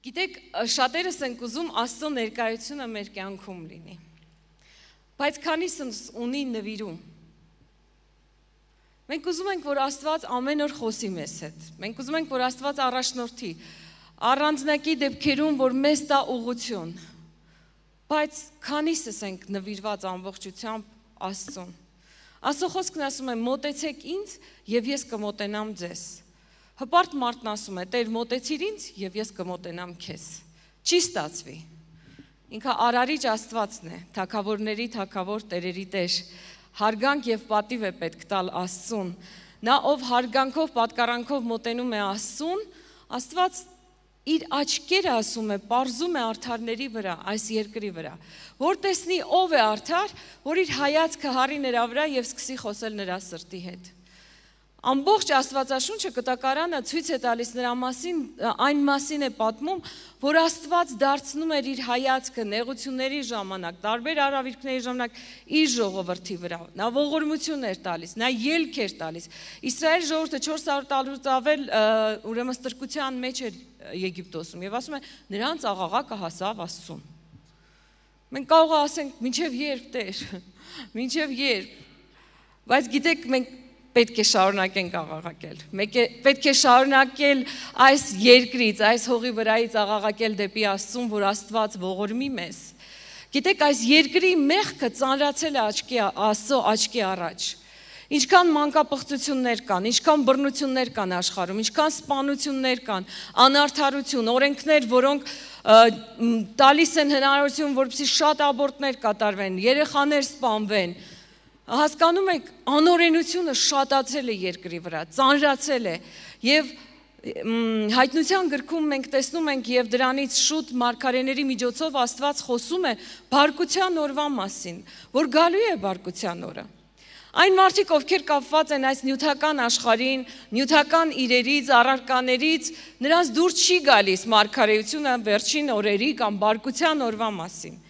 Գիտեք, շատերս ենք ուզում Աստծո ներկայությունը մեր կյանքում լինի, բայց քանիսս ունի նվիրում։ Մենք ուզում ենք, որ Աստված ամեն օր խոսի մեզ հետ, մենք ուզում ենք, որ Աստված առաջնորդի, առանձնակի դեպքերում, որ մեզ տա ուղղություն, բայց քանիսս ենք նվիրված ամբողջությամբ Աստծուն։ Աստծո խոսքն ասում է, մոտեցեք ինձ և ես կմոտենամ ձեզ։ Հպարտ մարդն ասում է, Տեր մոտեցիր ինձ և ես կմոտենամ քեզ։ Չի ստացվի։ Ինքը արարիչ Աստվածն է, թագավորների թագավոր, տերերի Տեր։ Հարգանք և պատիվ է պետք տալ Աստծուն։ Նա ով հարգանքով, պատկառանքով մոտենում է Աստծուն, Աստված իր աչքերը ասում է, պարզում է արդարների վրա, այս երկրի վրա, որ տեսնի ով է արդար, որ իր հայացքը հառի նրա վրա և սկսի խոսել նրա սրտի հետ։ Ամբողջ Աստվածաշունչը կտակարանը ցույց է տալիս նրա մասին, այն մասին է պատմում, որ Աստված դարձնում էր իր հայացքը նեղությունների ժամանակ, տարբեր արհավիրքների ժամանակ իր ժողովրդի վրա։ Նա ողորմություն էր տալիս, նա ելք էր տալիս։ Իսրայել ժողովուրդը 400 տարուց ավել ուրեմն ստրկության մեջ էր Եգիպտոսում եւ ասում է նրանց աղաղակը հասավ Աստծուն։ Մենք կարող ենք ասենք մինչև երբ Տեր, մինչև երբ։ Բայց գիտեք մենք պետք է շարունակենք աղաղակել։ Պետք է շարունակել այս երկրից, այս հողի վրայից աղաղակել դեպի Աստծուն, որ Աստված ողորմի մեզ։ Գիտեք, այս երկրի մեղքը ծանրացել է Աստծո աչքի առաջ։ Ինչքան մանկապղծություններ կան, ինչքան բռնություններ կան աշխարհում, ինչքան սպանություններ կան, անարդարություն, օրենքներ, որոնք տալիս են հնարավորություն, որպեսզի շատ աբորտներ կատարվեն, երեխաներ սպանվեն։ Հասկանում եք, անօրենությունը շատացել է երկրի վրա, ծանրացել է և հայտնության գրքում մենք տեսնում ենք և դրանից շուտ մարգարեների միջոցով Աստված խոսում է բարկության օրվա մասին, որ գալու է բարկության օրը։ Այն մարդիկ, ովքեր կապված են այս նյութական աշխարհին, նյութական իրերից, առարկաներից, նրանց դուր չի գալիս մարգարեությունը վերջին օրերի կամ բարկության օրվա մասին։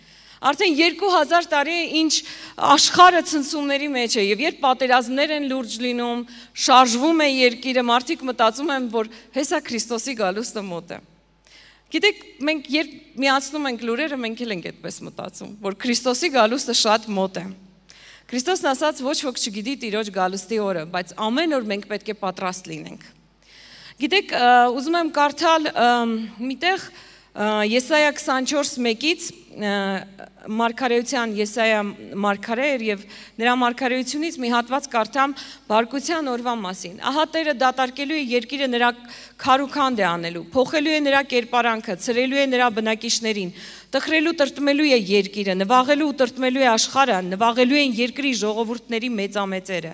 Արդեն 2000 տարի է ինչ աշխարհը ցնցումների մեջ է եւ երբ պատերազմներ են լուրջ լինում, շարժվում է երկիրը, մարդիկ մտածում են, որ հեսա Քրիստոսի գալուստը մոտ է։ Գիտեք, մենք երբ միացնում ենք լուրերը, մենք էլ ենք այդպես մտածում, որ Քրիստոսի գալուստը շատ մոտ է։ Քրիստոսն ասաց, ոչ ոք չգիտի Տիրոջ գալուստի օրը, բայց ամեն օր մենք պետք է պատրաստ լինենք։ Գիտեք, ուզում եմ կարդալ միտեղ Եսայա 24:1-ից մարգարեության Եսայա մարգարե էր եւ նրա մարգարեությունից մի հատված կարդամ բարկության օրվա մասին։ Ահա Տերը դատարկելու է երկիրը նրա քարուքանդ է անելու, փոխելու է նրա կերպարանքը, ցրելու է նրա բնակիչներին, տխրելու տրտմելու է երկիրը, նվաղելու ու տրտմելու է աշխարհը, նվաղելու են երկրի ժողովուրդների մեծամեծերը։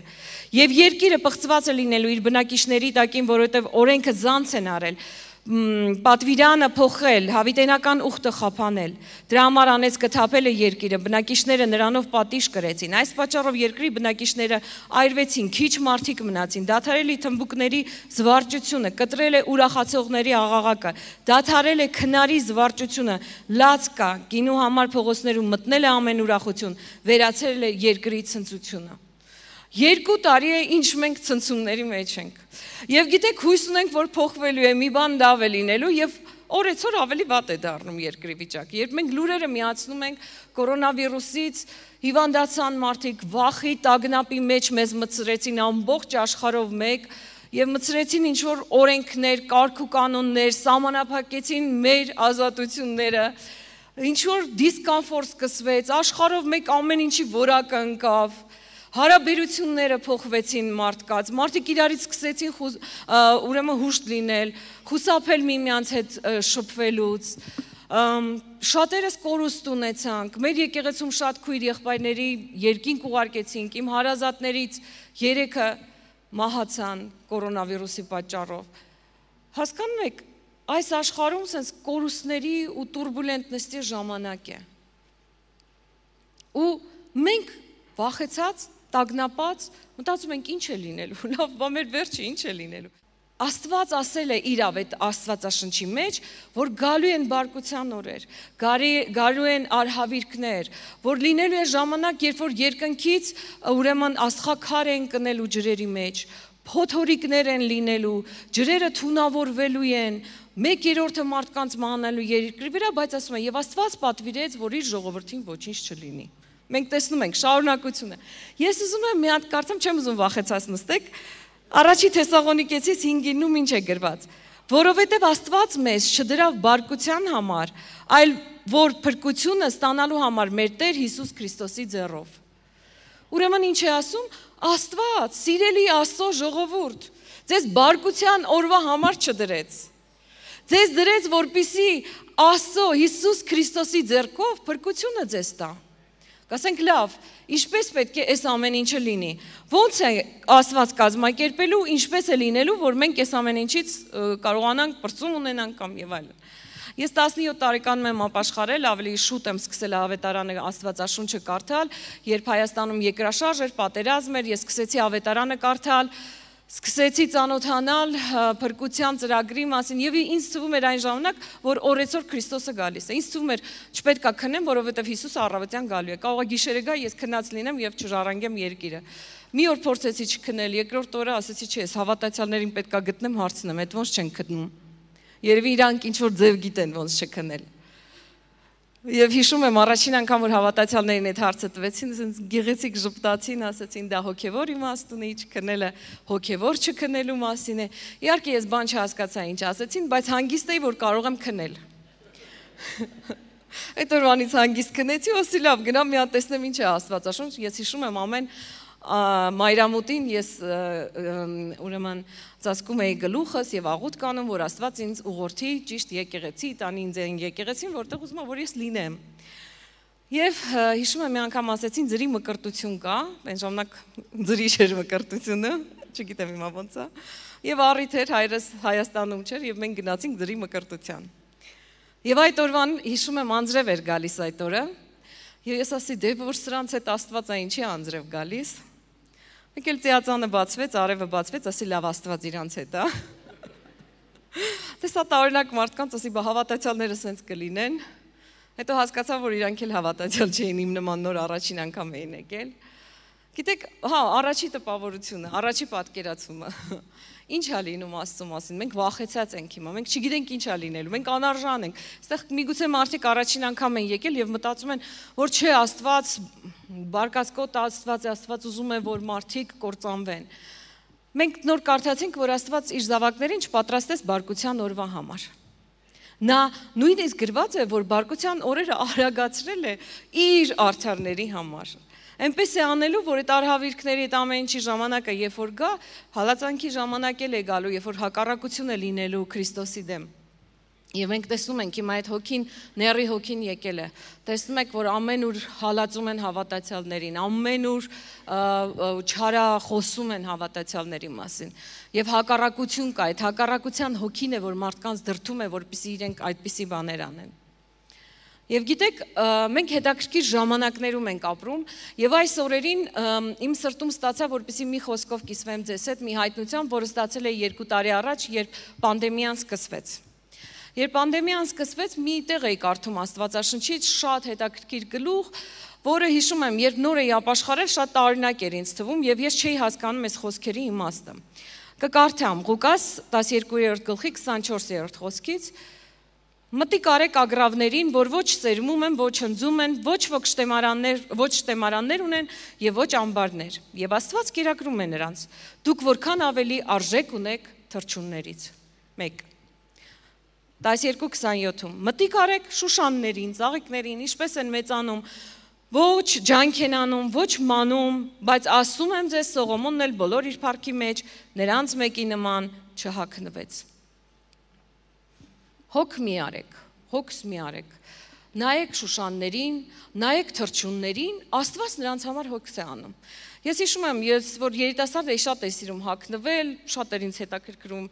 Եվ երկիրը պղծված է լինելու իր բնակիչների տակին, որովհետև օրենքը զանց են արել։ Պատվիրանը փոխել, հավիտենական ուխտը խափանել։ Դրա համար անեց կթափել է երկիրը, բնակիչները նրանով պատիժ կրեցին։ Այս պատճառով երկրի բնակիչները այրվեցին, քիչ մարդիկ մնացին, դադարել է թմբուկների զվարճությունը, կտրել է ուրախացողների աղաղակը, դադարել է քնարի զվարճությունը, լաց կա, գինու համար փողոցներում մտնել է ամեն ուրախություն, վերացել է երկրի ցնծությունը։ 2 տարի է ինչ մենք ցնցումների մեջ ենք։ Եվ գիտեք, հույս ունենք, որ փոխվելու է, մի բան լավ է լինելու եւ օրեցօր ավելի վատ է դառնում երկրի վիճակը։ Երբ մենք լուրերը միացնում ենք կորոնավիրուսից, հիվանդացան մարդիկ, վախի տագնապի մեջ մեզ մցրեցին ամբողջ աշխարհով մեկ եւ մցրեցին ինչ որ օրենքներ, կարգ ու կանոններ, սահմանափակեցին մեր ազատությունները, ինչ որ դիսկոմֆորտ սկսվեց, աշխարհով մեկ ամեն ինչի որակը ընկավ։ Հարաբերությունները փոխվեցին մարդկաց, մարդիկ իրարից սկսեցին ուրեմն հուշտ լինել, խուսափել միմյանց հետ շփվելուց, շատերս կորուստ ունեցանք, մեր եկեղեցում շատ քույր եղբայրների երկինք ուղարկեցինք, իմ հարազատներից 3-ը մահացան կորոնավիրուսի պատճառով։ Հասկանում եք, այս աշխարհում sense կորուստների ու տուրբուլենտների ժամանակ է։ Ու մենք վախեցած տագնապած, մտածում ենք ինչ է լինելու, լավ, բա մեր վերջը ինչ է լինելու։ Աստված ասել է իր այդ Աստվածաշնչի մեջ, որ գալու են բարկության օրեր, գալու են արհավիրքներ, որ լինելու է ժամանակ, երբ որ երկնքից ուրեմն աստղաքար են կնելու ջրերի մեջ, փոթորիկներ են լինելու, ջրերը թունավորվելու են, 1/3 մարդկանց մանալու երկրի վրա, բայց ասում է, եւ Աստված պատվիրեց, որ իր ժողովրդին ոչինչ չլինի։ Մենք տեսնում ենք շարունակությունը։ Ես ուզում եմ մի հատ կարծեմ, չեմ ուզում վախեցած նստեք, առաջի Թեսաղոնիկեցիս 5:9 ինչ է գրված։ Որովհետև Աստված մեզ չդրավ բարկության համար, այլ որ փրկությունը ստանալու համար մեր Տեր Հիսուս Քրիստոսի ձեռով։ Ուրեմն ինչ է ասում, Աստված, սիրելի Աստծո ժողովուրդ, ձեզ բարկության օրվա համար չդրեց։ Ձեզ դրեց, որպեսզի Աստծո Հիսուս Քրիստոսի ձեռքով փրկությունը ձեզ տա։ Կասենք լավ, ինչպես պետք է այս ամեն ինչը լինի։ Ոնց է Աստված կազմակերպելու, ինչպես է լինելու, որ մենք այս ամեն ինչից կարողանանք բրծում ունենանք կամ եւ այլն։ Ես 17 տարեկանում եմ ապաշխարել, ավելի շուտ եմ սկսել ավետարանը Աստվածաշունչը կարդալ, երբ Հայաստանում երկրաշարժ էր, պատերազմ էր, ես սկսեցի ավետարանը կարդալ, սկսեցի ծանոթանալ փրկության ծրագրի մասին եւ ինձ թվում էր այն ժամանակ, որ օրեցօր Քրիստոսը գալիս է։ Ինձ թվում էր չպետք է քնեմ, որովհետեւ Հիսուսը առավոտյան գալու է։ Կարող է գիշերը գա, ես քնած լինեմ եւ չժառանգեմ երկիրը։ Մի օր փորձեցի չքնել, երկրորդ օրը ասեցի, չէ, ես հավատացյալներին պետք է գտնեմ, հարցնեմ, այդ ոնց չեն գտնում։ Երևի իրանք ինչ որ ձև գիտեն ոնց չքնել։ Եվ հիշում եմ առաջին անգամ որ հավատացյալներին այդ հարցը տվեցին, ասենց գեղեցիկ ժպտացին, ասացին դա հոգևոր իմաստ ունի, չքնելը հոգևոր չքնելու մասին է։ Իհարկե ես բան չհասկացա ինչ ասեցին, բայց հանգիստ էի որ կարող եմ քնել։ Այդ օրվանից հանգիստ քնեցի, ասի լավ, գնամ մի հատ տեսնեմ ինչ է Աստվածաշունչ, ես հիշում եմ ամեն մայրամուտին ես ուրեմն ծածկում էի գլուխս եւ աղոթ կանում, որ Աստված ինձ ուղղորդի ճիշտ եկեղեցի, տանի ինձ այն եկեղեցին, որտեղ ուզում եմ որ ես լինեմ։ Եվ հիշում եմ մի անգամ ասեցին ձրի մկրտություն կա, այն ժամանակ ձրի չէր մկրտությունը, չգիտեմ հիմա ոնց է։ Եվ առիթ էր հայրս Հայաստանում չէր եւ մենք գնացինք ձրի մկրտության։ Եվ այդ օրվան հիշում եմ անձրև էր գալիս այդ օրը։ Եվ ես ասի դե որ սրանց հետ Աստված է ինչի անձրև գալիս։ Մեկ էլ ծիածանը բացվեց, արևը բացվեց, ասի լավ Աստված իրանց հետ է։ Տեսա տարօրինակ մարդկանց, ասի բա հավատացյալները սենց կլինեն։ Հետո հասկացա, որ իրանք էլ հավատացյալ չէին, իմ նման նոր առաջին անգամ էին եկել։ Գիտեք, հա, առաջի տպավորությունը, առաջի պատկերացումը։ Ինչ է լինում Աստծո մասին, մենք վախեցած ենք հիմա, մենք չգիտենք ինչ է լինելու, մենք անարժան ենք։ Այստեղ միգուցե մարդիկ առաջին անգամ են եկել եւ մտածում են, որ չէ, Աստված բարկասկոտ Աստված է, Աստված ուզում է, որ մարդիկ կործանվեն։ Մենք նոր կարդացինք, որ Աստված իր զավակներին չպատրաստեց բարկության օրվա համար։ Նա նույնիսկ գրված է, որ բարկության օրերը արագացրել է իր արդարների համար։ Այնպես է անելու, որ այդ արհավիրքների այդ ամեն ինչի ժամանակը, երբ որ գա, հալածանքի ժամանակ էլ է գալու, երբ որ հակառակություն է լինելու Քրիստոսի դեմ։ Եվ մենք տեսնում ենք հիմա այդ հոգին, ների հոգին եկել է։ Տեսնում եք, որ ամենուր հալածում են հավատացյալներին, ամենուր չարախոսում են հավատացյալների մասին։ Եվ հակառակություն կա, այդ հակառակության հոգին է, որ մարդկանց դրդում է, որպեսզի իրենք այդպիսի բաներ անեն։ Եվ գիտեք, մենք հետաքրքիր ժամանակներում ենք ապրում, եւ այս օրերին իմ սրտում ստացա, որպեսզի մի խոսքով կիսվեմ ձեզ հետ, մի հայտնությամբ, որը ստացել է 2 տարի առաջ, երբ պանդեմիան սկսվեց։ Երբ պանդեմիան սկսվեց, մի տեղ էի կարդում Աստվածաշնչից շատ հետաքրքիր գլուխ, որը հիշում եմ, երբ նոր էի ապաշխարել, շատ տարօրինակ էր ինձ թվում, եւ ես չէի հասկանում այս խոսքերի իմաստը։ Կկարդամ Ղուկաս 12:24 խոսքից. Մտիկ արեք ագռավներին, որ ոչ սերմում են, ոչ հնձում են, ոչ շտեմարաններ ունեն եւ ոչ ամբարներ։ Եվ Աստված կերակրում է նրանց. դուք որքան ավելի արժեք ունեք թռչուններից։ 1 12:27 Մտիկ արեք շուշաններին, ծաղիկներին, ինչպես են մեծանում, ոչ ջանք են անում, ոչ մանում, բայց ասում եմ ձեզ Սողոմոնն էլ բոլոր իր փառքի մեջ նրանց մեկի նման չհագնվեց։ Հոգ մի արեք, հոգս մի արեք, նայեք շուշաններին, նայեք թռչուններին, Աստված նրանց համար հոգս է անում։ Ես հիշում եմ, ես որ երիտասարդ էի, շատ էի սիրում հագնվել, շատ էր ինձ հետաքրքրում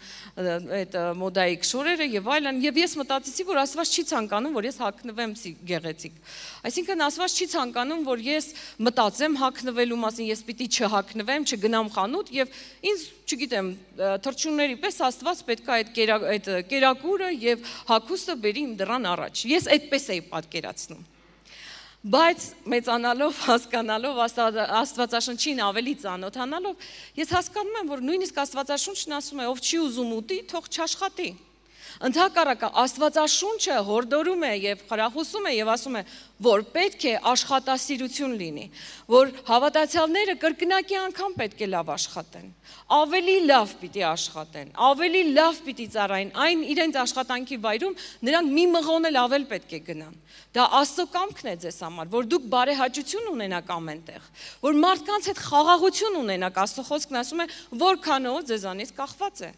այդ մոդայիկ շորերը եւ այլն, եւ ես մտածեցի, որ Աստված չի ցանկանում, որ ես հագնվեմ գեղեցիկ։ Այսինքն Աստված չի ցանկանում, որ ես մտածեմ հագնվելու մասին, ես պիտի չհագնվեմ, չգնամ խանութ եւ ինձ, չգիտեմ, թռչունների պես Աստված պետք է այդ կերակուրը եւ հագուստը բերի իմ դռան առաջ։ Ես այդպես էի պատկերացնում։ Բայց մեծանալով, հասկանալով, Աստվածաշնչին ավելի ծանոթանալով, ես հասկանում եմ, որ նույնիսկ Աստվածաշունչն ասում է, ով չի ուզում ուտի, թող չաշխատի։ Ընդհակառակը Աստվածաշունչը հորդորում է եւ խրախուսում է եւ ասում է, որ պետք է աշխատասիրություն լինի, որ հավատացյալները կրկնակի անգամ պետք է լավ աշխատեն, ավելի լավ պիտի աշխատեն, ավելի լավ պիտի ծառայեն, այն իրենց աշխատանքի վայրում նրանք մի մղոն էլ ավել պետք է գնան։ Դա Աստծո կամքն է ձեզ համար, որ դուք բարեհաճություն ունենաք ամենտեղ, որ մարդկանց հետ խաղաղություն ունենաք, Աստծո խոսքն ասում է, որքանով ձեզանից կախված է։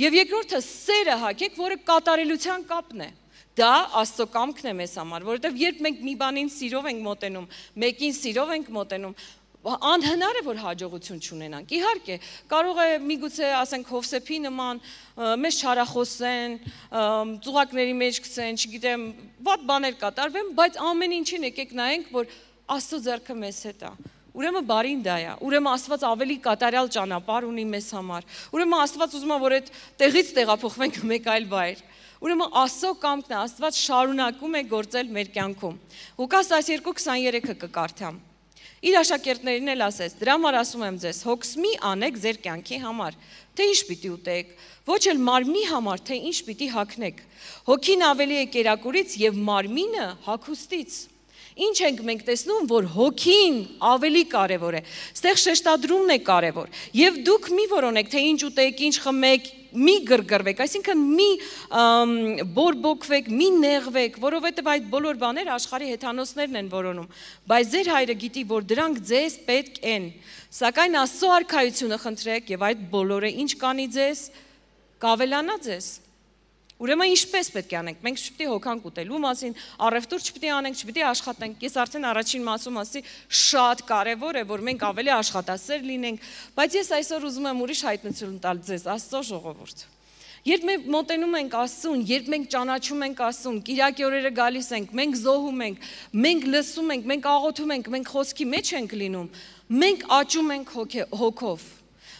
Եվ երկրորդը սերը հագեք, որը կատարելության կապն է։ Դա Աստծո կամքն է մեզ համար, որովհետև երբ մենք մի բանին սիրով ենք մոտենում, մեկին սիրով ենք մոտենում, անհնար է, որ հաջողություն չունենանք։ Իհարկե, կարող է միգուցե ասենք Հովսեփի նման մեզ չարախոսեն, ծուղակների մեջ գցեն, չգիտեմ, վատ բաներ կատարվեն, բայց ամեն ինչին եկեք նայենք, որ Աստծո ձեռքը մեզ հետ է։ Ուրեմն բարին դա է, ուրեմն Աստված ավելի կատարյալ ճանապարհ ունի մեզ համար, ուրեմն Աստված ուզում է, որ այդ տեղից տեղափոխվենք մեկ այլ վայր, ուրեմն Աստծո կամքն է, Աստված շարունակում է գործել մեր կյանքում։ Ղուկաս 12:23-ը կկարդամ։ Իր աշակերտներին էլ ասեց, դրա համար ասում եմ ձեզ, հոգս մի անեք ձեր կյանքի համար, թե ինչ պիտի ուտեք, ոչ էլ մարմնի համար, թե ինչ պիտի հագնեք։ Հոգին ավելի է կերակուրից եւ մարմինը հագուստից։ Ինչ ենք մենք տեսնում, որ հոգին ավելի կարևոր է, ստեղ շեշտադրումն է կարևոր, և դուք մի որոնեք, թե ինչ ուտեք, ինչ խմեք, մի գրգռվեք, այսինքն մի բորբոքվեք, մի նեղվեք, որովհետև այդ բոլոր բաները աշխարհի հեթանոսներն են որոնում, բայց ձեր հայրը գիտի, որ դրանք ձեզ պետք են, սակայն Աստծո արքայությունը խնդրեք և այդ բոլորը ինչ կանի ձեզ, կավելանա ձեզ։ Ուրեմն ինչպես պետք է անենք, մենք չպետք է հոգանք ուտելու մասին, առևտուր չպետք է անենք, չպետք է աշխատենք, ես արդեն առաջին մասում ասի, շատ կարևոր է, որ մենք ավելի աշխատասեր լինենք, բայց ես այսօր ուզում եմ ուրիշ հայտնություն տալ ձեզ, Աստծո ժողովուրդ։ Երբ մենք մոտենում ենք Աստծուն, երբ մենք ճանաչում ենք Աստծուն, կիրակի օրերը գալիս ենք, մենք զոհում ենք, մենք լսում ենք, մենք աղոթում ենք, մենք խոսքի մեջ ենք լինում, մենք աճում ենք հոգով։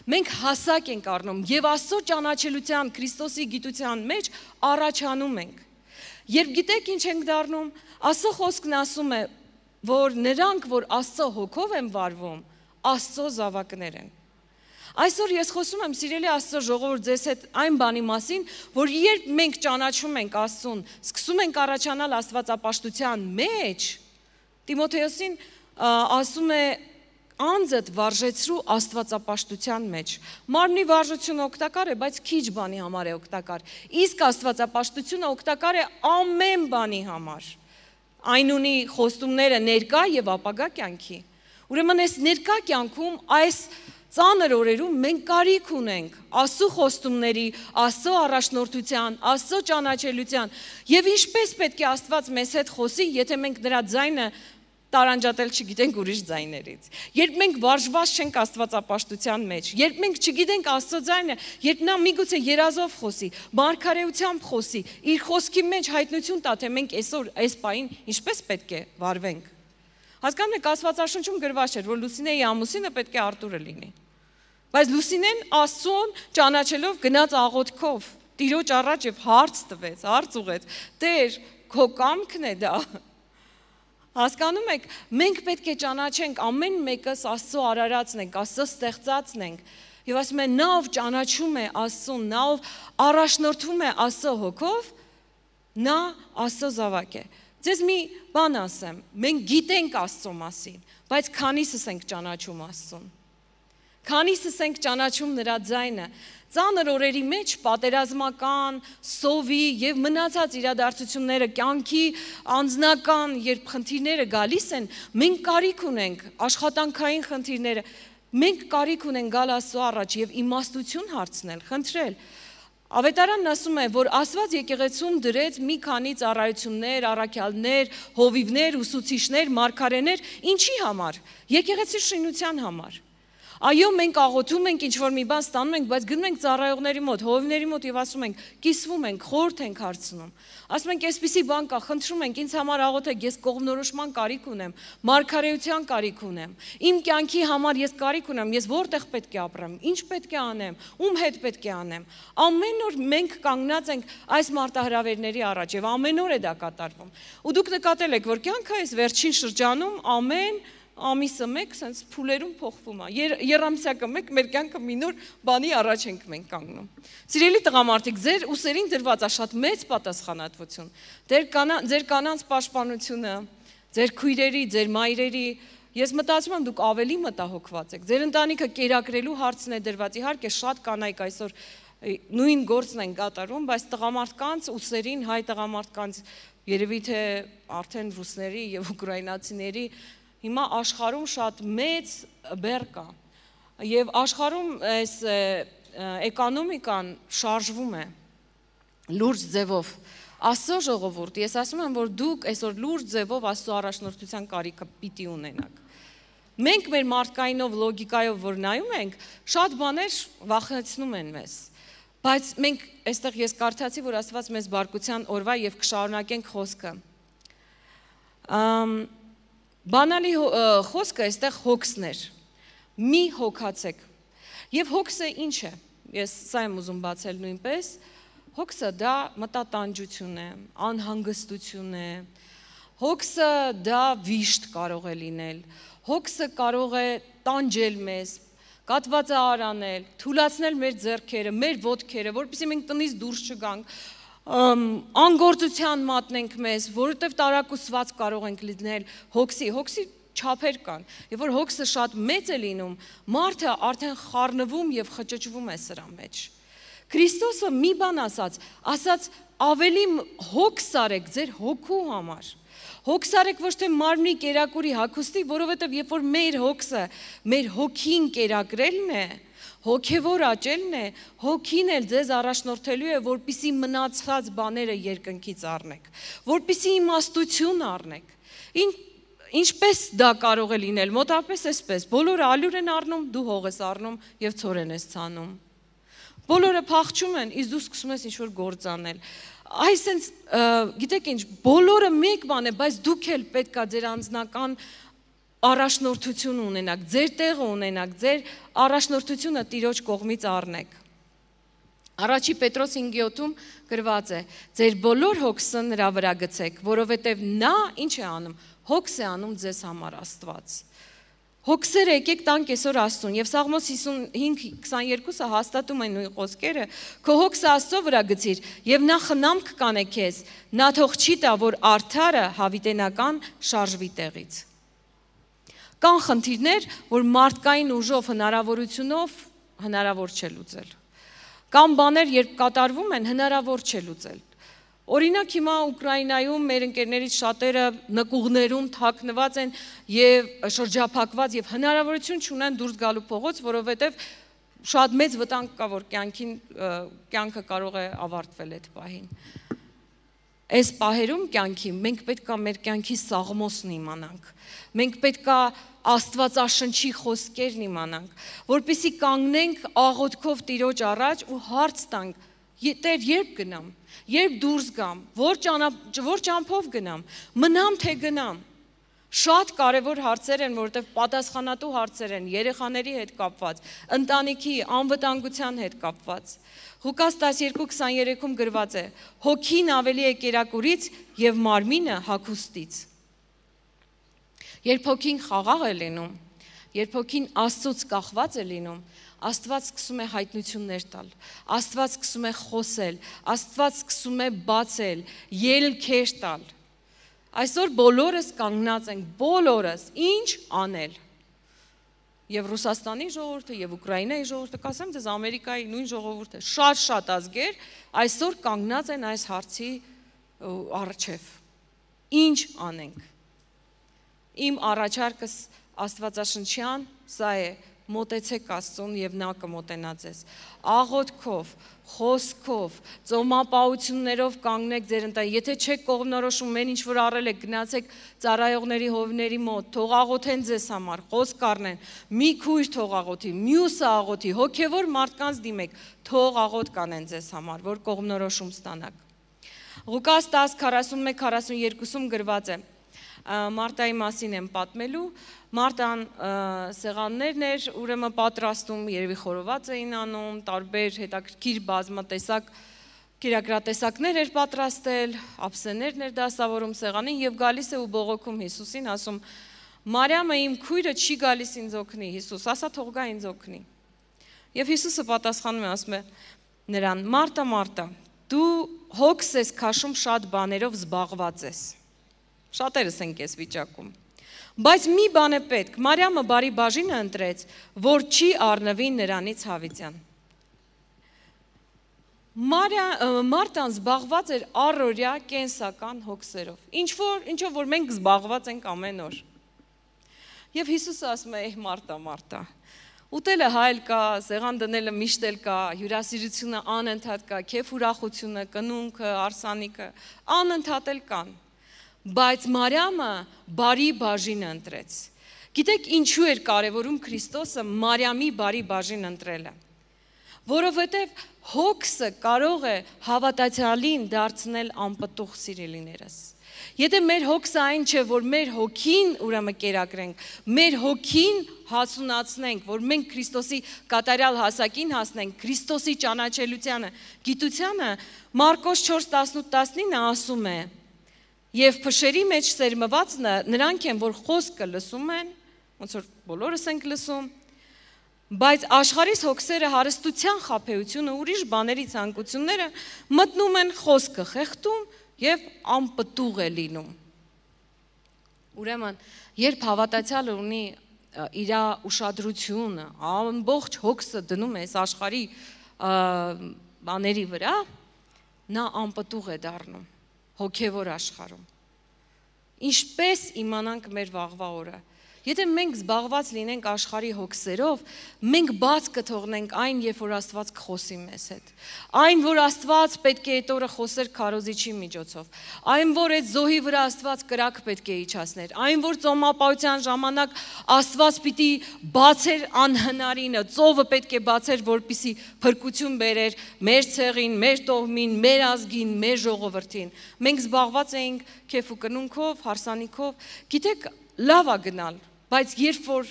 Մենք հասակ ենք առնում և Աստծո ճանաչելության, Քրիստոսի գիտության մեջ առաջանում ենք։ Երբ գիտեք ինչ ենք դառնում, Աստծո խոսքն ասում է, որ նրանք, որ Աստծո հոգով են վարվում, Աստծո զավակներ են։ Այսօր ես խոսում եմ, սիրելի Աստծո ժողովուրդ, ձեզ հետ այն բանի մասին, որ երբ մենք ճանաչում ենք Աստծուն, սկսում ենք առաջանալ աստվածապաշտության մեջ, Տիմոթեոսին ասում է անձդ վարժեցրու աստվածապաշտության մեջ։ Մարմնի վարժությունը օգտակար է, բայց քիչ բանի համար է օգտակար։ Իսկ աստվածապաշտությունը օգտակար է ամեն բանի համար։ Այն ունի խոստումները ներկա եւ ապագա կյանքի։ Ուրեմն այս ներկա կյանքում այս ծանր օրերում մենք կարիք ունենք Աստծո խոստումների, Աստծո առաջնորդության, Աստծո ճանաչելության եւ ինչպես պետք է Աստված մեզ հետ խոսի, եթե մենք նրա ձայնը տարանջատել չգիտենք ուրիշ ձայներից։ Երբ մենք վարժված չենք աստվածապաշտության մեջ, երբ մենք չգիտենք Աստծո ձայնը, երբ նա միգուցե երազով խոսի, մարգարեությամբ խոսի, իր խոսքի մեջ հայտնություն տա, թե մենք այսօր այս պահին ինչպես պետք է վարվենք։ Հասկանում եք, Աստվածաշնչում գրված չէր, որ Լուսինեի ամուսինը պետք է Արտուրը լինի։ Բայց Լուսինեն Աստծուն ճանաչելով գնաց աղոթքով, Տիրոջ առաջ եւ հարց տվեց, հարց ուղեց. Տեր, քո կամքն է դա։ Հասկանում եք, մենք պետք է ճանաչենք, ամեն մեկս Աստծո արարածն ենք, Աստծո ստեղծածն ենք, եւ ասում են, նա ով ճանաչում է Աստծուն, նա ով առաջնորդվում է Աստծո հոգով, նա Աստծո զավակ է։ Ձեզ մի բան ասեմ, մենք գիտենք Աստծո մասին, բայց քանիսս ենք ճանաչում Աստծուն։ Քանիսս ենք ճանաչում նրա ձայնը։ Ծանր օրերի մեջ պատերազմական, սովի եւ մնացած իրադարձությունները, կյանքի անձնական, երբ խնդիրները գալիս են, մենք կարիք ունենք աշխատանքային խնդիրները, մենք կարիք ունենք գալ Աստծո առաջ եւ իմաստություն հարցնել, խնդրել։ Ավետարանն ասում է, որ Աստված եկեղեցում դրեց մի քանի ծառայություններ, առաքյալներ, հովիվներ, ուսուցիչներ, մարգարեներ, ինչի համար։ Եկեղեցի շինության համար։ Այո, մենք աղոթում ենք, ինչ-որ մի բան ստանում ենք, բայց գնում ենք ծառայողների մոտ, հովիվների մոտ եւ ասում ենք, կիսվում ենք, խորհուրդ ենք հարցնում։ Ասում ենք, այսպիսի բան կա, խնդրում ենք, ինձ համար աղոթեք, ես կողմնորոշման կարիք ունեմ, մարգարեության կարիք ունեմ։ Իմ կյանքի համար ես կարիք ունեմ, ես որտեղ պետք է ապրեմ, ինչ պետք է անեմ, ում հետ պետք է անեմ։ Ամեն օր մենք կանգնած ենք այս մարտահրավերների առաջ եւ ամեն օր է դա կատարվում։ Ու դուք նկատել եք, որ կյանքը այս վերջին շրջանում ամեն ամիսը մեկ սենց փուլերում փոխվում է։ Երամսյակը մեկ մեր կյանքը մի նոր բանի առաջ ենք մենք կանգնում։ Սիրելի տղամարդիկ, ձեր ուսերին դրված է շատ մեծ պատասխանատվություն։ Ձեր կանանց պաշտպանությունը, ձեր քույրերի, ձեր մայրերի, ես մտածում եմ դուք ավելի մտահոգված եք։ Ձեր ընտանիքը կերակրելու հարցն է դրված։ Իհարկե շատ կանայք այսօր նույն գործն են կատարում, բայց տղամարդկանց ուսերին, հայ տղամարդկանց երևի թե արդեն ռուսների եւ ուկրաինացիների հիմա աշխարհում շատ մեծ բեռ կա եւ աշխարհում այս էկոնոմիկան շարժվում է լուրջ ձևով։ Աստծո ժողովուրդ, ես ասում եմ, որ դուք այսօր լուրջ ձևով Աստծո առաջնորդության կարիքը պիտի ունենաք։ Մենք մեր մարդկայինով, լոգիկայով, որ նայում ենք, շատ բաներ վախեցնում են մեզ։ Բայց մենք այստեղ ես կարդացի, որ Աստված մեզ բարկության օրվա եւ կշարունակենք խոսքը։ Բանալի խոսքը այստեղ հոգսներ։ Մի հոգացեք։ Եվ հոգսը ինչ է։ Ես սա եմ ուզում բացել նույնպես։ Հոգսը դա մտատանջություն է, անհանգստություն է, հոգսը դա վիշտ կարող է լինել, հոգսը կարող է տանջել մեզ, կատվածահար անել, թուլացնել մեր ձեռքերը, մեր ոտքերը, որպեսզի մենք տնից դուրս չգանք, անգործության մատնենք մեզ, որովհետև տարակուսված կարող ենք լինել հոգսի չափեր կան, եւ որ հոգսը շատ մեծ է լինում, մարդը արդեն խառնվում եւ խճճվում է սրա մեջ։ Քրիստոսը մի բան ասաց ավելի հոգս արեք ձեր հոգու համար։ Հոգս արեք ոչ թե մարմնի կերակուրի հագուստի, որովհետև երբ որ մեր հոգսը, մեր հոգին կերակրելն է, հոգևոր աճելն է, հոգին էլ ձեզ առաջնորդելու է, որպեսզի մնացած բաները երկնքից առնեք, որպեսզի իմաստություն առնեք։ Ինչպես դա կարող է լինել, մոտապես այսպես, բոլորը ալյուր են առնում, դու հող ես առնում եւ ցորեն ես ցանում։ Բոլորը փախչում են, իսկ դու սկսում ես ինչ-որ գործ անել։ Այսինքն, գիտեք ինչ, բոլորը մեկ բան է, բայց դուք էլ պետքա ձեր անձնական առաջնորդություն ունենաք, ձեր տեղը ունենաք, ձեր առաջնորդությունը Տիրոջ կողմից առնեք։ Առաջի Պետրոս 5:7-ում գրված է. ձեր բոլոր հոգսը նրա վրա գցեք, որովհետև նա ինչ է անում, հոգս է անում ձեզ համար Աստված։ Հոգսերը եկեք տանք այսօր Աստծուն, եւ Սաղմոս 55:22-ը հաստատում է նույն խոսքերը, քո հոգսը Աստծո վրա գցիր, եւ նա խնամք կանե քեզ, նա թող չի տա, որ արդարը հավիտենական շարժվի տեղից։ Կան խնդիրներ, որ մարդկային ուժով, հնարավորությունով հնարավոր չէ լուծել։ Կան բաներ, երբ կատարվում են, հնարավոր չէ լուծել։ Օրինակ հիմա Ուկրաինայում մեր ընկերներից շատերը նկուղներում թաքնված են եւ շրջափակված եւ հնարավորություն չունեն դուրս գալու փողոց, որովհետեւ շատ մեծ վտանգ կա, որ կյանքը կարող է ավարտվել այդ պահին։ Այս պահերում կյանքի մենք պետք է մեր կյանքի սաղմոսն իմանանք։ Մենք պետք է Աստվածաշնչի խոսքերն իմանանք, որպեսզի կանգնենք աղոթքով Տիրոջ առաջ ու հարց տանք. Տեր, երբ գնամ, երբ դուրս գամ, որ ճամփով գնամ, մնամ թե գնամ։ Շատ կարևոր հարցեր են, որովհետև պատասխանատու հարցեր են երեխաների հետ կապված, ընտանիքի անվտանգության հետ կապված։ Ղուկաս 12:23-ում գրված է. հոգին ավելի է կերակուրից եւ մարմինը հագուստից։ Երբ հոգին խաղաղ է լինում, երբ հոգին Աստծուց կախված է լինում, Աստված սկսում է հայտնություններ տալ, Աստված սկսում է խոսել, Աստված սկսում է բացել, ելքեր տալ։ Այսօր բոլորս կանգնած ենք, բոլորս ինչ անել։ Եվ Ռուսաստանի ժողովուրդը, եւ Ուկրաինայի ժողովուրդը, կասեմ ձեզ Ամերիկայի նույն ժողովուրդը, շատ ազգեր այսօր կանգնած են այս հարցի առջև։ Ինչ անենք։ Իմ առաջարկս Աստվածաշնչյան սա է. մոտեցեք Աստծուն եւ նա կմոտենա ձեզ։ Աղոթքով, խոսքով, ծոմապահություններով կանգնեք ձեր ընտանիքի։ Եթե չեք կողմնորոշում, մեն ինչ որ առել եք, գնացեք ծառայողների հովների մոտ, թող աղոթեն ձեզ համար, խոսք առնեն։ Մի քույր թող աղոթի, մյուսը աղոթի, հոգևոր մարդկանց դիմեք, թող աղոթ կանեն ձեզ համար, որ կողմնորոշում ստանաք։ Ղուկաս 10:41-42-ում գրված է. Մարտայի մասին եմ պատմելու, Մարտան սեղաններն էր, ուրեմն պատրաստում, երևի խորոված էին անում, տարբեր հետաքրքիր բազմատեսակ կերակրատեսակներ էր պատրաստել, ափսեներն էր դասավորում սեղանին եւ գալիս է ու բողոքում Հիսուսին, ասում. Մարիամը իմ քույրը չի գալիս ինձ օգնի, Հիսուս, ասա թող գա ինձ օգնի։ Եվ Հիսուսը պատասխանում է, ասում է նրան. Մարտա, Մարտա, դու հոգս ես քաշում շատ բաներով զբաղված ես։ Շատերս ենք այս վիճակում։ Բայց մի բան է պետք, Մարիամը բարի բաժինը ընտրեց, որ չի առնվի նրանից հավիտյան։ Մարտան զբաղված էր առօրյա կենսական հոգսերով, ինչով որ մենք զբաղված ենք ամեն օր։ Եվ Հիսուսը ասում է, Մարտա, Մարտա, ուտելը հայլ կա, սեղան դնելը միշտ էլ կա, հյուրասիրությունը անընդհատ կա, քեֆ ուրախությունը, կնունքը, արսանիքը անընդհատ էլ կան։ Բայց Մարիամը բարի բաժինը ընտրեց։ Գիտեք ինչու էր կարևորում Քրիստոսը Մարիամի բարի բաժին ընտրելը։ Որովհետև հոգսը կարող է հավատացյալին դարձնել անպտուղ սիրելիներս։ Եթե մեր հոգսը այն չէ, որ մեր հոգին ուրեմն կերակրենք, մեր հոգին հասունացնենք, որ մենք Քրիստոսի կատարյալ հասակին հասնենք, Քրիստոսի ճանաչելությանը, գիտությանը, Մարկոս 4:18-19 ասում է. Եվ փշերի մեջ սերմված նրանք են, որ խոսքը լսում են, ոնց որ բոլորս ենք լսում, բայց աշխարհիս հոգսերը հարստության խաբեությունը, ուրիշ բաների ցանկությունները մտնում են խոսքը խեղդում եւ անպտուղ է լինում։ Ուրեմն, երբ հավատացյալը ունի իր ուշադրությունը, ամբողջ հոգսը դնում է այս աշխարհի բաների վրա, նա անպտուղ է դառնում հոգևոր աշխարհում։ Ինչպես իմանանք մեր վաղվա օրը։ Եթե մենք զբաղված լինենք աշխարհի հոգսերով, մենք բաց կթողնենք այն, երբ որ Աստված կխոսի մեզ հետ։ Այն, որ Աստված պետք է այդ օրը խոսեր քարոզիչի միջոցով։ Այն, որ այդ զոհի վրա Աստված կրակ պետք է իջացներ։ Այն, որ ծոմապահության ժամանակ Աստված պիտի բացեր անհնարինը, ծովը պետք է բացեր, որպեսզի փրկություն բերեր մեր ցեղին, մեր տոհմին, մեր ազգին, մեր ժողովրդին։ Մենք զբաղված էինք քեֆ ու կնունքով, հարսանիքով։ Գիտեք, լավ է գնալ, բայց երբ որ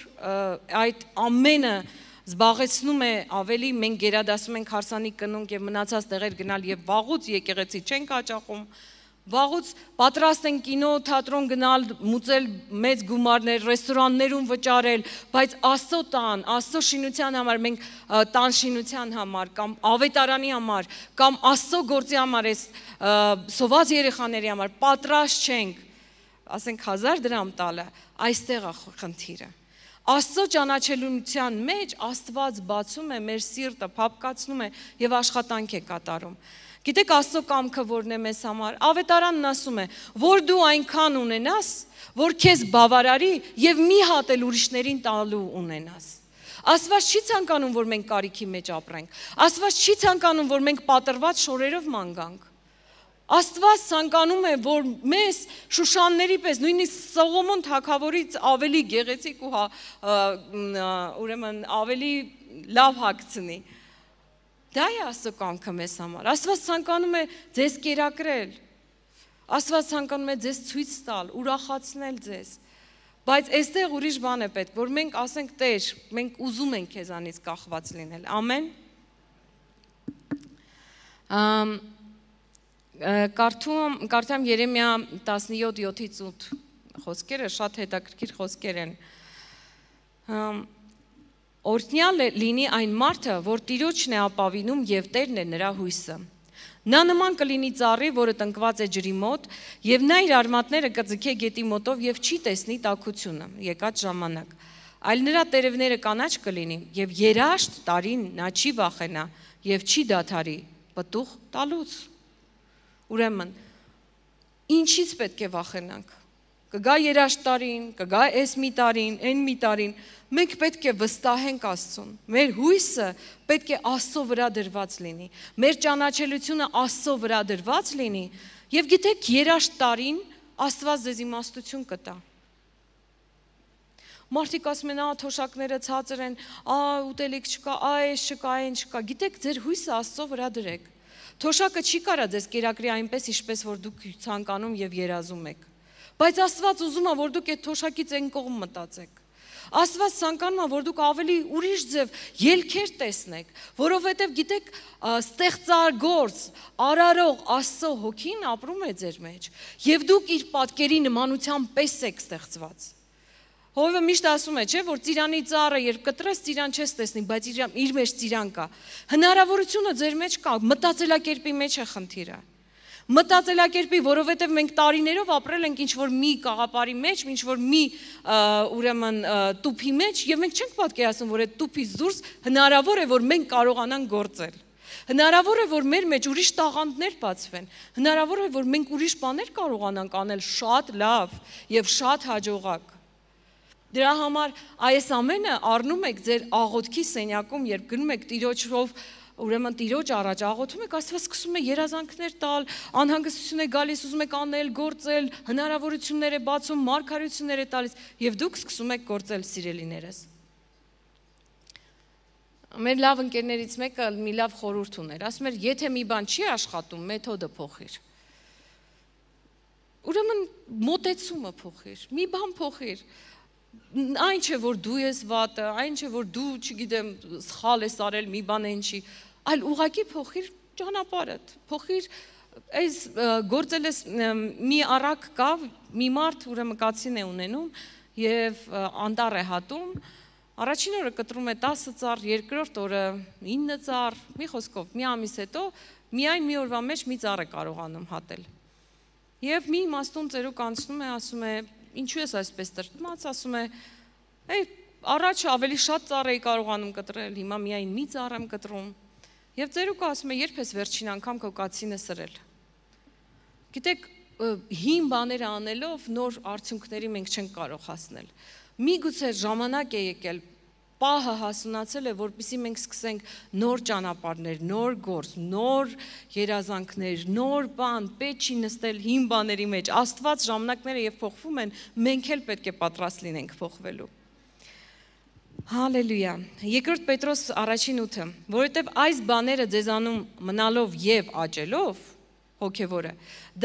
այդ ամենը զբաղեցնում է ավելի, մենք գերադասում ենք հարսանիք կնունք եւ մնացած տեղեր գնալ եւ վաղուց եկեղեցի չենք հաճախում, վաղուց պատրաստ են կինո, թատրոն գնալ, մուծել մեծ գումարներ, ռեստորաններում վճարել, բայց Աստծո տան, Աստծո շինության համար, մենք տան շինության համար կամ ավետարանի համար կամ Աստծո գործի համար, այս սոված երեխաների համար պատրաստ չենք, ասենք 1000 դրամ տալը, այստեղ է խնդիրը։ Աստծո ճանաչելության մեջ Աստված բացում է մեր սիրտը, փափկացնում է եւ աշխատանք է կատարում։ Գիտեք Աստծո կամքը որն է մեզ համար։ Ավետարանն ասում է, որ դու այնքան ունենաս, որ քեզ բավարարի եւ մի հատ էլ ուրիշներին տալու ունենաս։ Աստված չի ցանկանում, որ մենք կարիքի մեջ ապրենք։ Աստված չի ցանկանում, որ մենք պատրված շորերով ման գանք։ Աստված ցանկանում է, որ մեզ Շուշանների պես, նույնիսկ Սողոմոն թագավորից ավելի գեղեցիկ ու ուրեմն ավելի լավ հագցնի։ Դա է Աստծո կամքը մեզ համար։ Աստված ցանկանում է ձեզ կերակրել։ Աստված ցանկանում է ձեզ ցույց տալ, ուրախացնել ձեզ։ Բայց այստեղ ուրիշ բան է պետք, որ մենք ասենք Տեր, մենք ուզում ենք քեզանից կախված լինել։ Ամեն։ Կարդամ Երեմիա 17:7-8 խոսքերը, շատ հետաքրքիր խոսքեր են։ Օրհնյալ լինի այն մարդը, որ Տիրոջն է ապավինում եւ Տերն է նրա հույսը։ Նա նման կլինի ծառի, որը տնկված է ջրի մոտ, եւ նա իր արմատները կձգե գետի մոտով եւ չի տեսնի տաքությունը եկած ժամանակ։ Այլ նրա տերևները կանաչ կլինի եւ երաշտ տարին նա չի վախենա եւ չի դադարի պտուղ տալուց։ Ուրեմն, ինչից պետք է վախենանք։ Կգա երաշտ տարին, կգա այս մի տարին, այն մի տարին, մենք պետք է վստահենք Աստծուն։ Մեր հույսը պետք է Աստծո վրա դրված լինի։ Մեր ճանաչելությունը Աստծո վրա դրված լինի, եւ գիտեք, երաշտ տարին Աստված ձեզ իմաստություն կտա։ Մարդիկ ասում են, թոշակները ցածր են, ուտելիք չկա, այս չկա, այն չկա։ Գիտեք, ձեր հույսը Աստծո վրա դրեք։ Թոշակը չի կարա ձեզ կերակրի այնպես, ինչպես որ դուք ցանկանում եւ երազում եք։ Բայց Աստված ուզում է, որ դուք այդ թոշակից այն կողմ մտածեք։ Աստված ցանկանում է, որ դուք ավելի ուրիշ ձև ելքեր տեսնեք, որովհետև գիտեք, ստեղծագործ, արարող Աստծո հոգին ապրում է ձեր մեջ, եւ դուք իր պատկերի նմանության պես եք ստեղծված։ Հովիվը միշտ ասում է, չէ, որ ծիրանի ծառը երբ կտրես, ծիրան չես տեսնի, բայց իր մեջ ծիրան կա։ Հնարավորությունը ձեր մեջ կա, մտածելակերպի մեջ է խնդիրը։ Մտածելակերպի, որովհետև մենք տարիներով ապրել ենք ինչ-որ մի կաղապարի մեջ, ինչ-որ մի ուրեմն տուփի մեջ, եւ մենք չենք պատկերացնում, որ այդ տուփից դուրս հնարավոր է, որ մենք կարողանանք գործել։ Հնարավոր է, որ մեր մեջ ուրիշ տաղանդներ բացվեն։ Հնարավոր է, որ մենք ուրիշ բաներ կարողանանք անել շատ լավ եւ շատ հաջողակ։ Դրա համար այս ամենը առնում եք ձեր աղոթքի սենյակում, երբ գնում եք Տիրոջով, ուրեմն Տիրոջ առաջ աղոթում եք, Աստված սկսում է երազանքներ տալ, անհանգստություն է գալիս, ուզում եք անել, գործել, հնարավորություններ է բացում, մարգարեություններ է տալիս, եւ դուք սկսում եք գործել, սիրելիներս։ Մեր լավ ընկերներից մեկը մի լավ խորհուրդ ուներ, ասում էր, եթե մի բան չի աշխատում, մեթոդը փոխիր։ Ուրեմն մոտեցումը փոխիր, մի բան փոխիր։ Այն չէ, որ դու ես վատը, այն չէ, որ դու, չգիտեմ, սխալ ես արել, մի բան են չի, այլ ուղղակի փոխիր ճանապարհդ, փոխիր, այս գործել ես մի առակ կա, մի մարդ ուրեմն կացին է ունենում եւ անտառ է հատում, առաջին օրը կտրում է 10 ծառ, երկրորդ օրը 9 ծառ, մի խոսքով, մի ամիս հետո միայն մի օրվա մեջ մի ծառ է կարողանում հատել։ Եվ մի իմաստուն ծերուկ անցնում է, ասում է, ինչու ես այսպես տրտմած, ասում է, առաջ ավելի շատ ծառ էի կարողանում կտրել, հիմա միայն մի ծառ եմ կտրում։ Եվ ծերուկը ասում է, երբ ես վերջին անգամ քո կացինը սրել։ Գիտեք, հին բաները անելով նոր արդյունքների մենք չենք կարող հասնել։ Միգուցե ժամանակ է եկել, պահը հասունացել է, որպեսզի մենք սկսենք նոր ճանապարհներ, նոր գործ, նոր երազանքներ, նոր բան, պետք չի նստել հին բաների մեջ։ Աստված ժամանակները եւ փոխվում են, մենք էլ պետք է պատրաստ լինենք փոխվելու։ Հալելույա։ Երկրորդ Պետրոս 1:8, որովհետև այս բաները ձեզանում մնալով եւ աճելով, հոգևորը,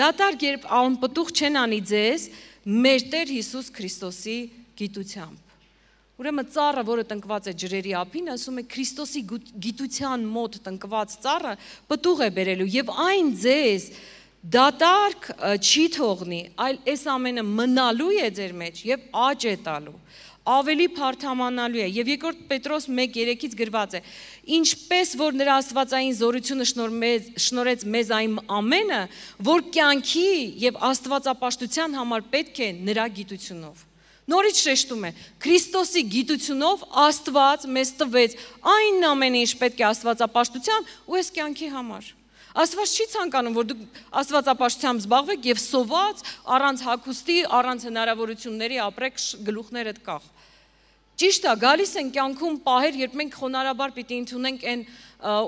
դատարկ երբ անպտուղ չեն անի ձեզ, մեր Տեր Հիսուս Քրիստոսի գիտությամբ։ Ուրեմն ծառը, որը տնկված է ջրերի ափին, ասում է Քրիստոսի գիտության մոտ տնկված ծառը պտուղ է բերելու եւ այն ձեզ դատարկ չի թողնի, այլ այս ամենը մնալու է ձեր մեջ եւ աճ է տալու, ավելի փարթամանալու է։ Եվ երկրորդ Պետրոս 1:3-ից գրված է. ինչպես որ նրա աստվածային զորությունը շնորհեց մեզ այն ամենը, որ կյանքի եւ աստվածապաշտության համար պետք է նրա գիտությունով։ Նորից շեշտում է, Քրիստոսի գիտությունով Աստված մեզ տվեց այն ամենը, ինչ պետք է աստվածապաշտության ու այս կյանքի համար։ Աստված չի ցանկանում, որ դուք աստվածապաշտությամբ զբաղվեք եւ սոված, առանց հագուստի, առանց հնարավորությունների ապրեք գլուխներդ կախ։ Ճիշտ է, գալիս են կյանքում պահեր, երբ մենք խոնարհաբար պիտի ընդունենք այն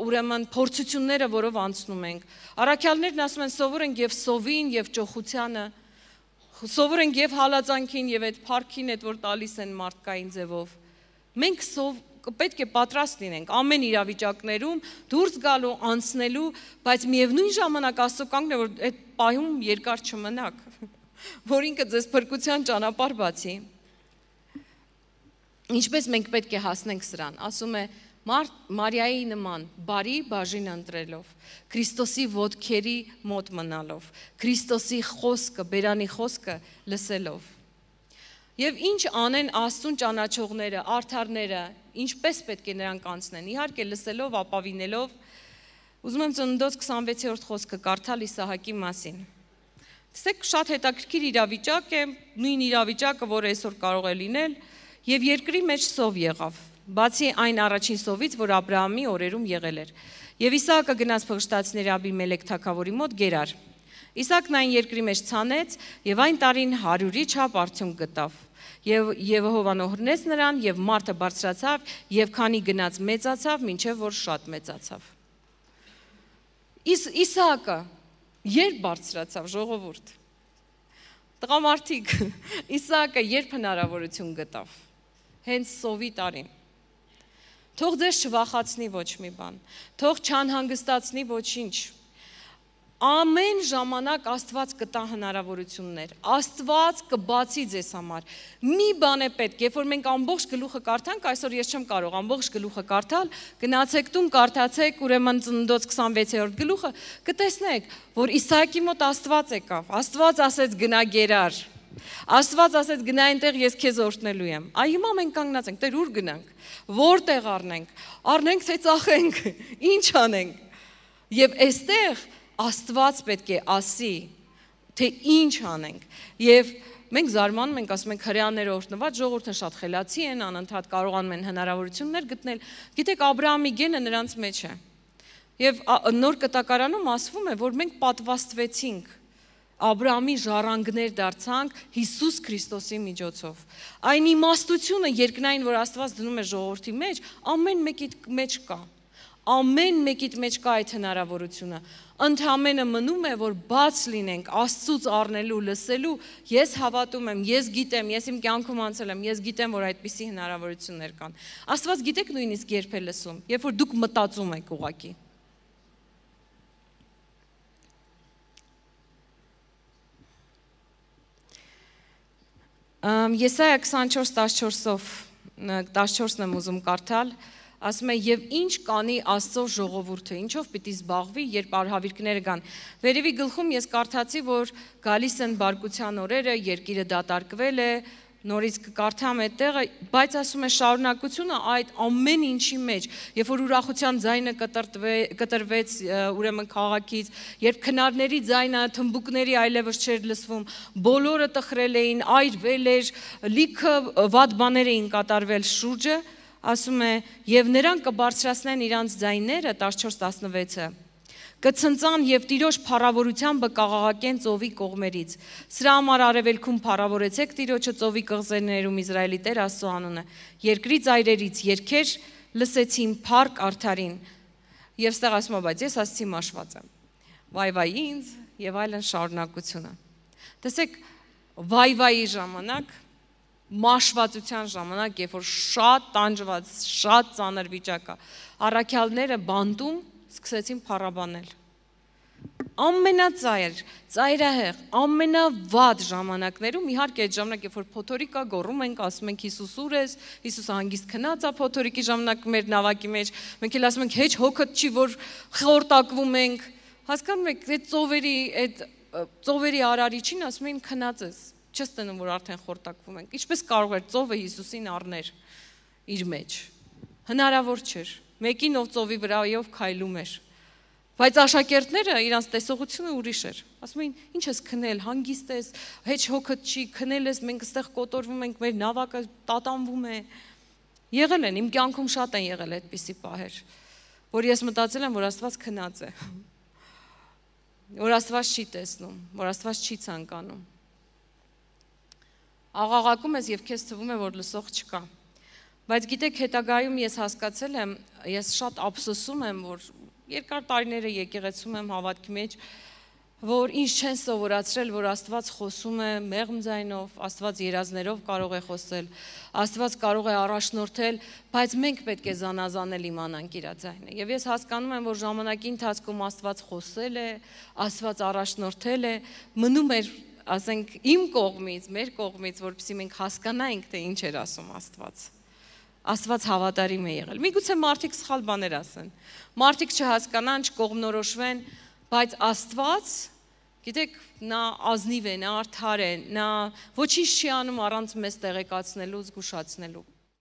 ուրեմն փորձությունները, որով անցնում ենք։ Առաքյալներն ասում են, սովոր ենք եւ սովին եւ ճոխությանը, սովոր ենք եւ հալածանքին եւ այդ փառքին, այդ որ տալիս են մարդկային ձևով։ Մենք պետք է պատրաստ լինենք ամեն իրավիճակներում դուրս գալու, անցնելու, բայց միևնույն ժամանակ Աստծո կանգն է, որ այդ պահում երկար չմնաք, որ ինքը ձեզ փրկության ճանապարհ բացի։ Ինչպես մենք պետք է հասնենք սրան, ասում է Մարիայի նման բարի բաժին ընտրելով, Քրիստոսի ոտքերի մոտ մնալով, Քրիստոսի խոսքը, բերանի խոսքը լսելով։ Եվ ինչ անեն Աստծուն ճանաչողները, արդարները, ինչպես պետք է նրանք անցնեն, իհարկե լսելով, ապավինելով։ Ուզում եմ Ծննդոց 26-րդ խոսքը կարդալ Իսահակի մասին։ Տեսեք, շատ հետաքրքիր իրավիճակ է, նույն իրավիճակը, որը այսօր կարող է լինել, եւ երկրի մեջ սով եղավ, բացի այն առաջին սովից, որ Աբրահամի օրերում եղել էր։ Եւ Իսահակը գնաց փղշտացիների Աբիմելեք թագավորի մոտ գերար։ Իսահակն այն երկրի մեջ ցանեց եւ այն տարին 100-ի չափ արդյունք գտավ։ Եվ Եհովան օրհնեց նրան եւ մարդը բարձրացավ եւ քանի գնաց մեծացավ, մինչեւ որ շատ մեծացավ։ Իսահակը երբ բարձրացավ, ժողովուրդ։ Տղամարդիկ, Իսահակը երբ հնարավորություն գտավ։ Հենց սովի տարին։ Թող ձեզ չվախացնի ոչ մի բան, թող չանհանգստացնի ոչինչ։ Ամեն ժամանակ Աստված կտա հնարավորություններ, Աստված կբացի ձեզ համար։ Մի բան է պետք, երբ որ մենք ամբողջ գլուխը կարդանք, այսօր ես չեմ կարող ամբողջ գլուխը կարդալ, գնացեք տուն, կարդացեք ուրեմն Ծննդոց 26-րդ գլուխը, կտեսնեք, որ Իսահակի մոտ Աստված եկավ, Աստված ասեց գնա գերար, Աստված ասեց գնա այնտեղ, ես քեզ օրհնելու եմ։ Այ հիմա մենք կանգնած ենք, Տեր, ուր գնանք։ Որտեղ առնենք։ Առնենք թե ծախենք։ Ինչ անենք։ Եվ այստեղ Աստված պետք է ասի, թե ինչ անենք։ Եվ մենք զարմանում ենք, ասում ենք հրեաները օրհնված ժողովուրդը շատ խելացի են, անընդհատ կարողանում են հնարավորություններ գտնել։ Գիտեք, Աբրահամի գենը նրանց մեջ է։ Եվ նոր կտակարանում ասվում է, որ մենք պատվաստվեցինք, Աբրահամի ժառանգներ դարձանք Հիսուս Քրիստոսի միջոցով։ Այն իմաստությունը երկնային, որ Աստված դնում է ժողովրդի մեջ, ամեն մեկի մեջ կա։ Ամեն մեկիդ մեջ կա այդ հնարավորությունը։ Ընդհանրապես մնում է, որ բաց լինենք Աստծուց առնելու, լսելու։ Ես հավատում եմ, ես գիտեմ, ես իմ կյանքում անցել եմ, ես գիտեմ, որ այդպիսի հնարավորություններ կան։ Աստված գիտեք նույնիսկ երբ է լսում, երբ որ դուք մտածում եք ուղղակի։ Եսայա 24:14-ով 14-ն եմ ուզում կարդալ, ասում է եւ ինչ կանի Աստծո ժողովուրդը, ինչով պիտի զբաղվի, երբ արհավիրքները գան։ Վերևի գլխում ես կարդացի, որ գալիս են բարկության օրերը, երկիրը դատարկվել է, նորից կկարդամ այդտեղը, բայց ասում է շարունակությունը այդ ամեն ինչի մեջ, երբ որ ուրախության ձայնը կտրվեց ուրեմն քաղաքից, երբ քնարների ձայնը, թմբուկների այլևս չէր լսվում, բոլորը տխրել էին, այրվել էր, լիքը վատ բաներ էին կատարվել շուրջը, ասում է, եւ նրանք կբարձրացնեն իրանց ձայները 14:16-ը, կցնծան եւ Տիրոջ փառավորությամբ կաղաղակեն ծովի կողմերից։ Սրա համար արևելքում փառավորեցեք Տիրոջը ծովի կղզիներում Իսրայելի Տեր Աստծո անունը։ Երկրի ծայրերից երգեր լսեցին փառք արդարին։ Եվ ստեղ ասում է, բայց ես ասացի մաշված եմ։ Վայ ինձ եւ այլն շարունակությունը։ Տեսեք, վայ ժամանակ, մաշվածության ժամանակ, երբ որ շատ տանջված, շատ ծանր վիճակ է, առաքյալները բանտում սկսեցին փառաբանել։ Ամենածայր, ծայրահեղ, ամենավատ ժամանակներում, իհարկե այդ ժամանակ, երբ որ փոթորիկ է, գոռում ենք, ասում ենք Հիսուս ուր ես, Հիսուսը հանգիստ քնած է փոթորիկի ժամանակ մեր նավակի մեջ, մենք էլ ասում ենք հեչ հոգդ չի, որ խորտակվում ենք, հասկանում եք, այդ ծովերի արարիչին ասում էին քնած ես, չես տնում, որ արդեն խորտակվում ենք, ինչպես կարող էր ծովը Հիսուսին առներ իր մեջ, հնարավոր չէր, մեկին ով ծովի վրայով քայլում էր, բայց աշակերտները իրանց տեսողությունը ուրիշ էր, ասում էին, ինչ ես քնել, հանգիստ ես, հեչ հոգդ չի, քնել ես, մենք այստեղ կոտորվում ենք, մեր նավակը տատանվում է, եղել են, իմ կյանքում շատ են եղել այդպիսի պահեր, որ ես մտածել եմ, որ Աստված քնած է, որ Աստված չի տեսնում, որ Աստված չի ցանկանում, աղաղակում ես և քեզ թվում է, որ լսող չկա, բայց գիտեք հետագայում ես հասկացել եմ, ես շատ ափսոսում եմ, որ երկար տարիները եկեղեցում եմ հավատքի մեջ, որ ինչ չեն սովորացրել, որ Աստված խոսում է մեղմ ձայնով, Աստված երազներով կարող է խոսել, Աստված կարող է առաջնորդել, բայց մենք պետք է զանազանել իմանանք իր ձայնը։ Եվ ես հասկանում եմ, որ ժամանակի ընթացքում Աստված խոսել է, Աստված առաջնորդել է, մնում էր, ասենք, իմ կողմից, մեր կողմից, որպեսզի մենք հասկանայինք, թե ինչ էր ասում Աստված։ Աստված հավատարիմ է եղել։ Միգուցե մարդիկ սխալ բաներ ասեն, մարդիկ չհասկանան, չկողմնորոշվեն, բայց Աստված, գիտեք, նա ազնիվ է, նա արդար է, նա ոչինչ չի անում առանց մեզ տեղեկացնելու, զգուշացնելու։